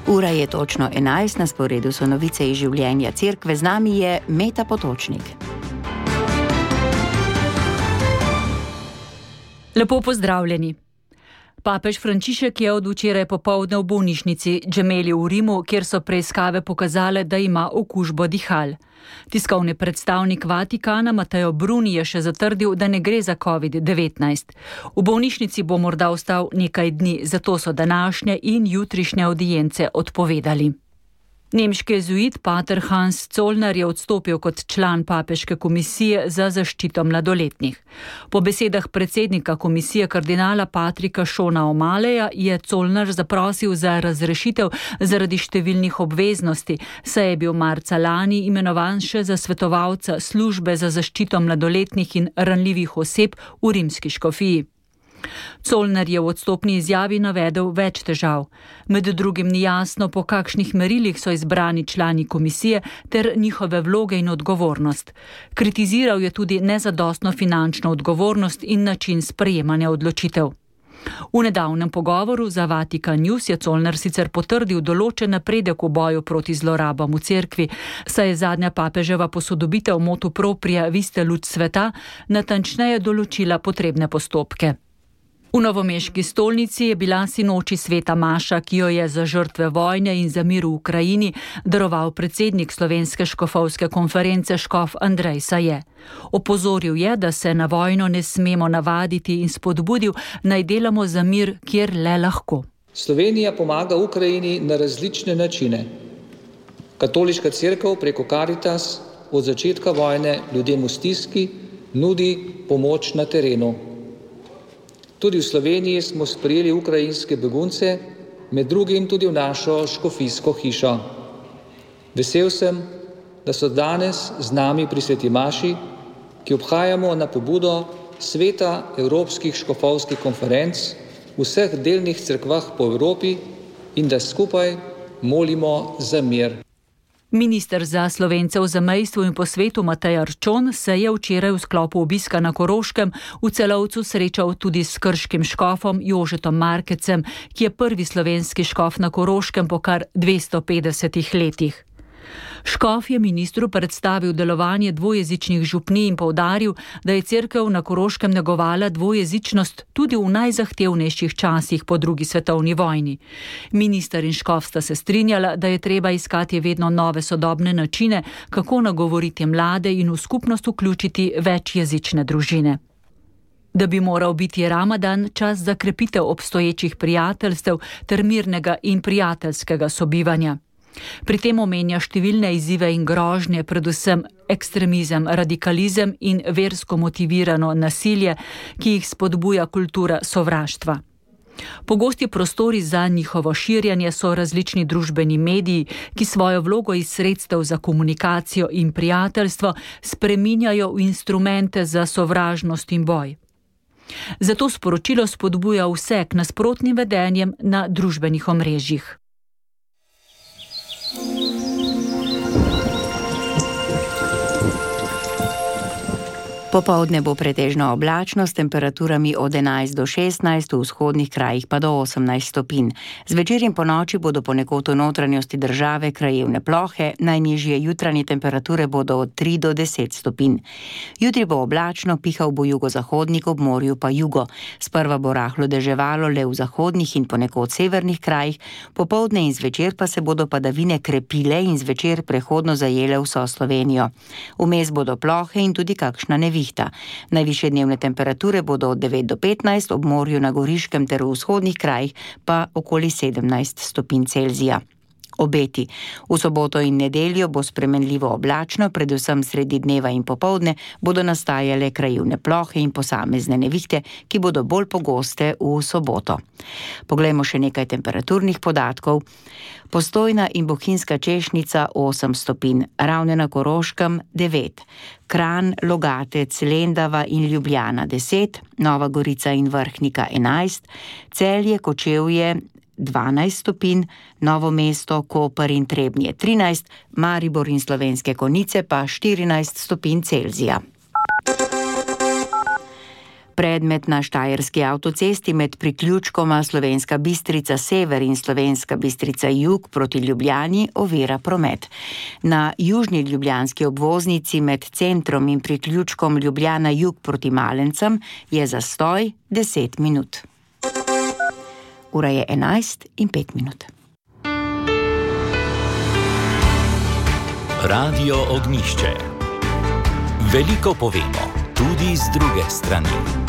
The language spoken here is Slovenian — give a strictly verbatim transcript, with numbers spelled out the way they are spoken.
Ura je točno enajst, na sporedu so novice iz življenja cerkve, z nami je Meta Potočnik. Lepo pozdravljeni. Papež Frančišek je od včeraj popoldne v bolnišnici Gemelli v Rimu, kjer so preiskave pokazale, da ima okužbo dihal. Tiskovni predstavnik Vatikana Matteo Bruni je še zatrdil, da ne gre za covid devetnajst. V bolnišnici bo morda ostal nekaj dni, zato so današnje in jutrišnje audience odpovedali. Nemški jezuit pater Hans Zollner je odstopil kot član papeške komisije za zaščito mladoletnih. Po besedah predsednika komisije kardinala Patrika Šona O'Malleyja je Zollner zaprosil za razrešitev zaradi številnih obveznosti, saj je bil marca lani imenovan še za svetovalca službe za zaščito mladoletnih in ranljivih oseb v rimski škofiji. Zollner je v odstopni izjavi navedel več težav. Med drugim ni jasno, po kakšnih merilih so izbrani člani komisije ter njihove vloge in odgovornost. Kritiziral je tudi nezadostno finančno odgovornost in način sprejemanja odločitev. V nedavnem pogovoru za Vatikan News je Zollner sicer potrdil določen napredek v boju proti zlorabam v cerkvi, saj je zadnja papeževa posodobitev motu propria Viste luč sveta natančneje določila potrebne postopke. V novomeški stolnici je bila sinoči sveta maša, ki jo je za žrtve vojne in za mir v Ukrajini daroval predsednik Slovenske škofovske konference škof Andrej Saje. Opozoril je, da se na vojno ne smemo navaditi in spodbudil, naj delamo za mir, kjer le lahko. Slovenija pomaga Ukrajini na različne načine. Katoliška cerkev preko Caritas od začetka vojne ljudem v stiski nudi pomoč na terenu. Tudi v Sloveniji smo sprejeli ukrajinske begunce, med drugim tudi v našo škofijsko hišo. Vesel sem, da so danes z nami pri sveti maši, ki obhajamo na pobudo sveta evropskih škofovskih konferenc v vseh delnih cerkvah po Evropi in da skupaj molimo za mir. Minister za Slovence v zamejstvu in po svetu Matej Arčon se je včeraj v sklopu obiska na Koroškem v Celovcu srečal tudi s krškim škofom Jožetom Markecem, ki je prvi slovenski škof na Koroškem po kar dvesto petdesetih letih. Škof je ministru predstavil delovanje dvojezičnih župnij in poudaril, da je cerkev na Koroškem negovala dvojezičnost tudi v najzahtevnejših časih po drugi svetovni vojni. Minister in škof sta se strinjala, da je treba iskati vedno nove sodobne načine, kako nagovoriti mlade in v skupnost vključiti večjezične družine. Da bi moral biti Ramadan čas za krepitev obstoječih prijateljstev ter mirnega in prijateljskega sobivanja. Pri tem omenja številne izzive in grožnje, predvsem ekstremizem, radikalizem in versko motivirano nasilje, ki jih spodbuja kultura sovraštva. Pogosti prostori za njihovo širjanje so različni družbeni mediji, ki svojo vlogo iz sredstev za komunikacijo in prijateljstvo spreminjajo v instrumente za sovražnost in boj. Zato sporočilo spodbuja vse k nasprotnim vedenjem na družbenih omrežjih. Popoldne bo pretežno oblačno s temperaturami od enajst do šestnajst, v vzhodnih krajih pa do osemnajst stopinj. Zvečer in ponoči bodo ponekod v notranjosti države krajevne plohe, najnižje jutranje temperature bodo od tri do deset stopinj. Jutri bo oblačno, pihal bo jugozahodnik, ob morju pa jugo. Sprva bo rahlo deževalo le v zahodnih in ponekod severnih krajih, popoldne in zvečer pa se bodo padavine krepile in zvečer prehodno zajele vso Slovenijo. Vmes bodo plohe in tudi kakšna nevihta. Najvišje dnevne temperature bodo od devet do petnajst, ob morju na Goriškem ter v vzhodnih krajih pa okoli sedemnajst stopinj Celzija. Obeti. V soboto in nedeljo bo spremenljivo oblačno, predvsem sredi dneva in popoldne bodo nastajale krajevne plohe in posamezne nevihte, ki bodo bolj pogoste v soboto. Poglejmo še nekaj temperaturnih podatkov. Postojna in Bohinjska Češnica osem stopinj, Ravne na Koroškem devet, Kranj, Logatec, Lendava in Ljubljana deset, Nova Gorica in Vrhnika enajst, Celje, Kočevje dvanajst stopinj, Novo mesto, Koper in Trebnje trinajst, Maribor in Slovenske Konjice pa štirinajst stopinj Celzija. Predmet na štajerski avtocesti med priključkoma Slovenska Bistrica sever in Slovenska Bistrica jug proti Ljubljani ovira promet. Na južni ljubljanski obvoznici med centrom in priključkom Ljubljana jug proti Malencem je zastoj deset minut. Ura je enajst in pet minut. Radio Ognjišče. Veliko povemo, tudi z druge strani.